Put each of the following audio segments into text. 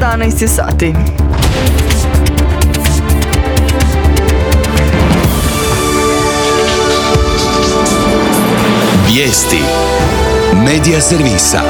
11 je sati. Vijesti Medija servisa.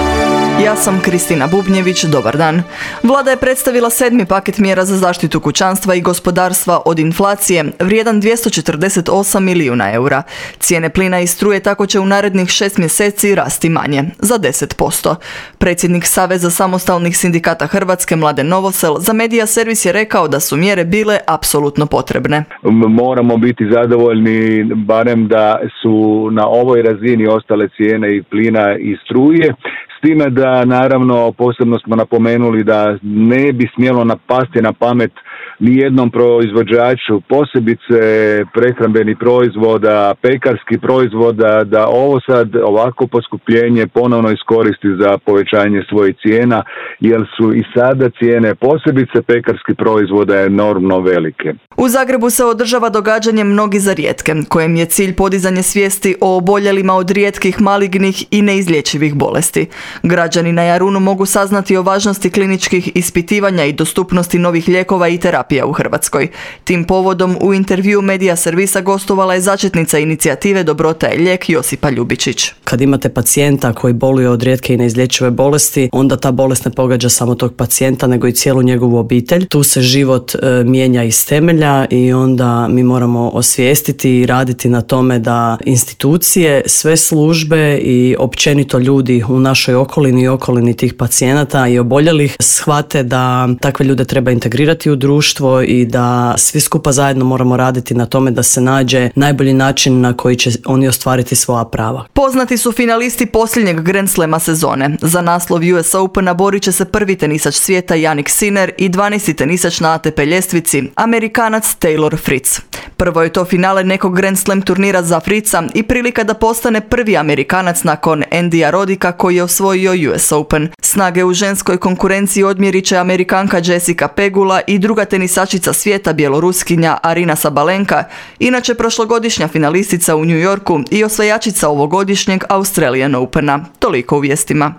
Ja sam Kristina Bubnjević, dobar dan. Vlada je predstavila 7. paket mjera za zaštitu kućanstva i gospodarstva od inflacije, vrijedan 248 milijuna eura. Cijene plina i struje tako će u narednih 6 mjeseci rasti manje, za 10%. Predsjednik Saveza samostalnih sindikata Hrvatske, Mladen Novosel, za Medija servis je rekao da su mjere bile apsolutno potrebne. Moramo biti zadovoljni barem da su na ovoj razini ostale cijene i plina i struje. S time da naravno posebno smo napomenuli da ne bi smjelo napasti na pamet nijednom proizvođaču, posebice prehrambenih proizvoda, pekarskih proizvoda, da ovo sad ovako poskupljenje ponovno iskoristi za povećanje svojih cijena, jer su i sada cijene posebice pekarskih proizvoda enormno velike. U Zagrebu se održava događanje Mnogi za rijetke, kojem je cilj podizanje svijesti o oboljelima od rijetkih, malignih i neizlječivih bolesti. Građani na Jarunu mogu saznati o važnosti kliničkih ispitivanja i dostupnosti novih lijekova i terapija u Hrvatskoj. Tim povodom u intervju Medija servisa gostovala je začetnica inicijative Dobrota je lijek Josipa Ljubičić. Kad imate pacijenta koji boluje od rijetke i neizlječive bolesti, onda ta bolest ne pogađa samo tog pacijenta, nego i cijelu njegovu obitelj. Tu se život mijenja iz temelja i onda mi moramo osvijestiti i raditi na tome da institucije, sve službe i općenito ljudi u našoj okolini i okolini tih pacijenata i oboljelih shvate da takve ljude treba integrirati u društvo i da svi skupa zajedno moramo raditi na tome da se nađe najbolji način na koji će oni ostvariti svoja prava. Poznati su finalisti posljednjeg Grand Slema sezone. Za naslov US Opena borit će se prvi tenisač svijeta Jannik Sinner i 12. tenisač na ATP ljestvici, Amerikanac Taylor Fritz. Prvo je to finale nekog Grand Slam turnira za Fritza i prilika da postane prvi Amerikanac nakon Andyja Rodika koji je osvojio US Open. Snage u ženskoj konkurenciji odmjerit će Amerikanka Jessica Pegula i druga tenisačica svijeta Bjeloruskinja Arina Sabalenka, inače prošlogodišnja finalistica u New Yorku i osvajačica ovogodišnjeg Australian Opena. Toliko u vijestima.